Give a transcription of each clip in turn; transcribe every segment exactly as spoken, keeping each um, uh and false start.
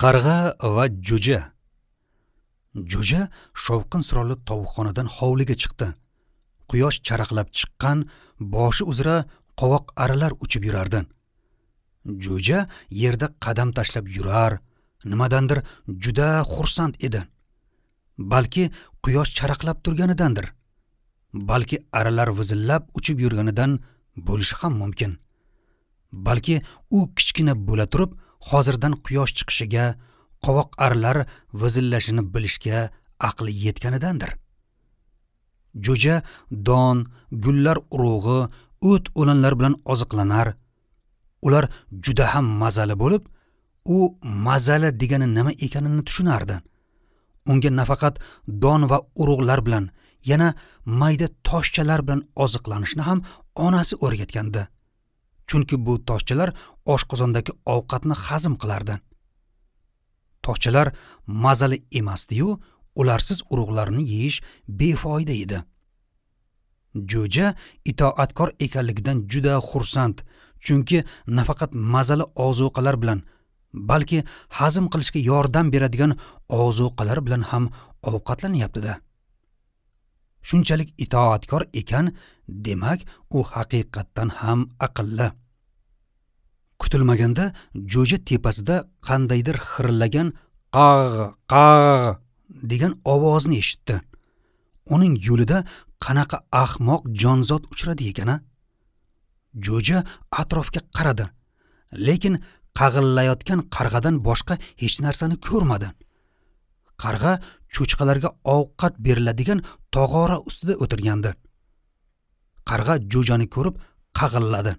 Qarg'a va jo'ja. Jo'ja shovqin suronli tovuqxonadan hovliga chiqdi. Quyosh charaqlab chiqqan, boshi uzra qovoq arilar uchib yurardi. Jo'ja yerda qadam tashlab yurar, nimadandir juda xursand edi. Balki quyosh charaqlab turganidandir. Balki arilar vizillab uchib yurganidan bo'lishi ham mumkin. Balki u kichkina bo'la turib, hozirdan quyosh chiqishiga, qovoq arilar vizillashini bilishga aqli yetganidandir. Jo'ja don, gullar urug'i, o't o'lanlar bilan oziqlanar. Ular juda ham mazali bo'lib, u mazali degani nima ekanini tushunardi. Unga nafaqat don va urug'lar bilan, yana mayda toshchalar bilan oziqlanishni ham onasi o'rgatgandi. Chunki bu toshchalar oshqozondagi ovqatni hazm qilardi. Toshchalar mazali emasdi-yu, ularsiz urug'larni yeyish befoyda edi. Jo'ja itoatkor ekanligidan juda xursand, chunki nafaqat mazali ozuqalar bilan, balki hazm qilishga yordam beradigan ozuqalar bilan ham ovqatlanyapti-da. Shunchalik itoatkor ekan, demak, u haqiqatdan ham aqlli. Kutilmaganda jo'ja tepasida qandaydir xirillagan qag'g'u qag'g'u degan ovozni eshitdi. Uning yo'lida qanaqa ahmoq jonzot uchradi ekan-a? Jo'ja atrofga qaradi, lekin qag'illayotgan qarg'adan boshqa hech narsani ko'rmadi. Qarg'a cho'chqalarga ovqat beriladigan tog'ora ustida o'tirgandi. Qarg'a jo'jani ko'rib qag'illadi.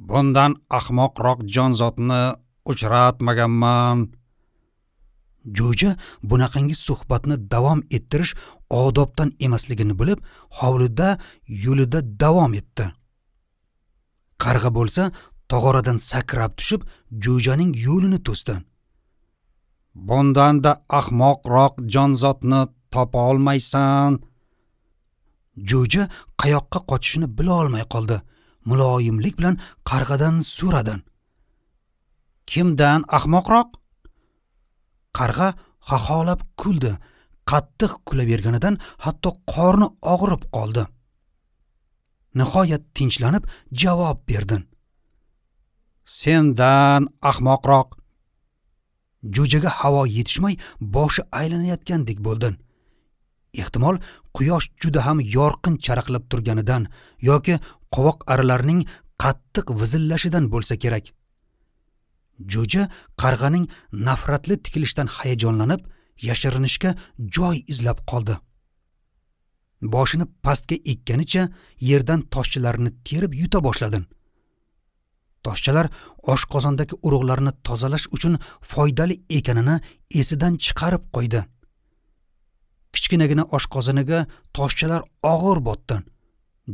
Bundan ahmoqroq jonzotni uchratmaganman. Jo'ja bunaqangi suhbatni davom ettirish odobdan emasligini bilib, hovlida yo'lida davom etdi. Qarg'a bo'lsa tog'oradan sakrab tushib, jo'janing yo'lini to'sdi. Bundan-da ahmoqroq jonzotni topa olmaysan. Jo'ja qayoqqa qochishini bila olmay qoldi. Muloyimlik bilan qarg'adan so'radi. Kimdan ahmoqroq? Qarg'a xaxolab kuldi. Qattiq kulaverganidan hatto qorni og'rib qoldi. Nihoyat tinchlanib javob berdi. Sendan ahmoqroq. Jo'jaga havo yetishmay boshi aylanayotgandek bo'ldi. Ehtimol quyosh juda ham yorqin charaqlab turganidan yoki qovoq arilarning qattiq vizillashidan bo'lsa kerak. Jo'ja qarg'aning nafratli tikilishidan hayajonlanib, yashirinishga joy izlab qoldi. Boshini pastga ekkanicha yerdan toshchalarni terib yuta boshladi. Toshchalar oshqozondagi urug'larni tozalash uchun foydali ekanini esidan chiqarib qo'ydi. Kichkinagina oshqozoniga toshchalar og'ir botdi.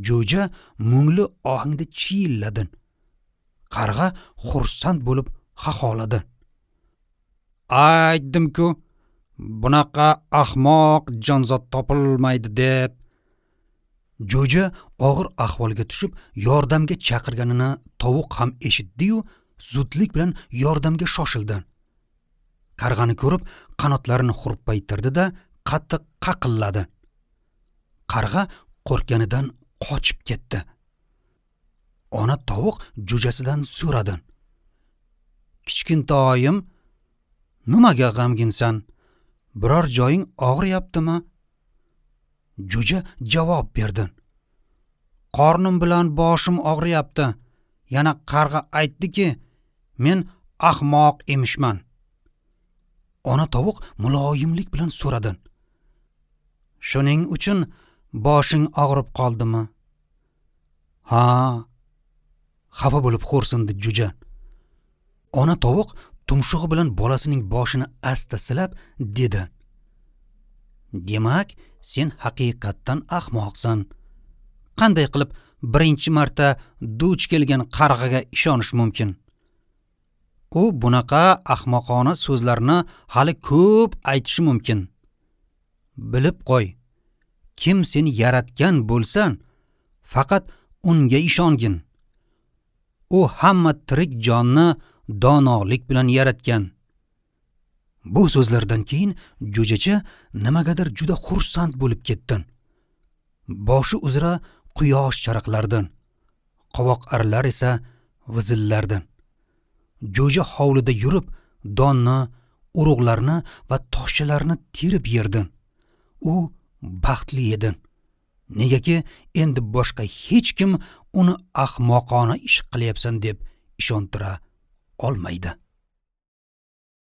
Jo'ja mungli ohangda chiyilladi. Qarg'a xursand bo'lib xaxoladi. Aytdim-ku, bunaqa ahmoq jonzot topilmaydi deb. Jo'ja og'ir ahvolga tushib, yordamga chaqirganini tovuq ham eshitdi-yu, zudlik bilan yordamga shoshildi. Qarg'ani ko'rib, qanotlarini hurpaytirdi-da, qattiq qaqilladi. Qarg'a qo'rqqanidan qochib ketdi. Ona tovuq jo'jasidan so'radi. Kichkintoyim, nimaga g'amginsan? Biror joying og'riyaptimi? Jo'ja javob berdi. Qornim bilan boshim og'riyapti. Yana qarg'a aytdiki, men ahmoq emishman. Ona tovuq muloyimlik bilan so'radi. Shuning uchun boshing og'rib qoldimi? Ha, xafa bo'lib xo'rsindi jo'ja. Ona tovuq tumshug'i bilan bolasining boshini asta silab dedi. Demak, sen haqiqatdan ahmoqsan. Qanday qilib birinchi marta duch kelgan qarg'aga ishonish mumkin? U bunaqa ahmoqona so'zlarni hali ko'p aytishi mumkin. Bilib qo'y, kim seni yaratgan bo'lsa, faqat unga ishongin. U hamma tirik jonni donolik bilan yaratgan. Bu so'zlardan keyin jo'jacha nimagadir juda xursand bo'lib ketdi. Boshi uzra quyosh charaqlardi. Qovoq arilar esa vizillardi. Jo'ja hovlida yurib, donni, urug'larni va toshchalarni terib yerdi. U baxtli edi. Negaki endi boshqa hech kim uni ahmoqona ish qilyapsan deb ishontira olmaydi.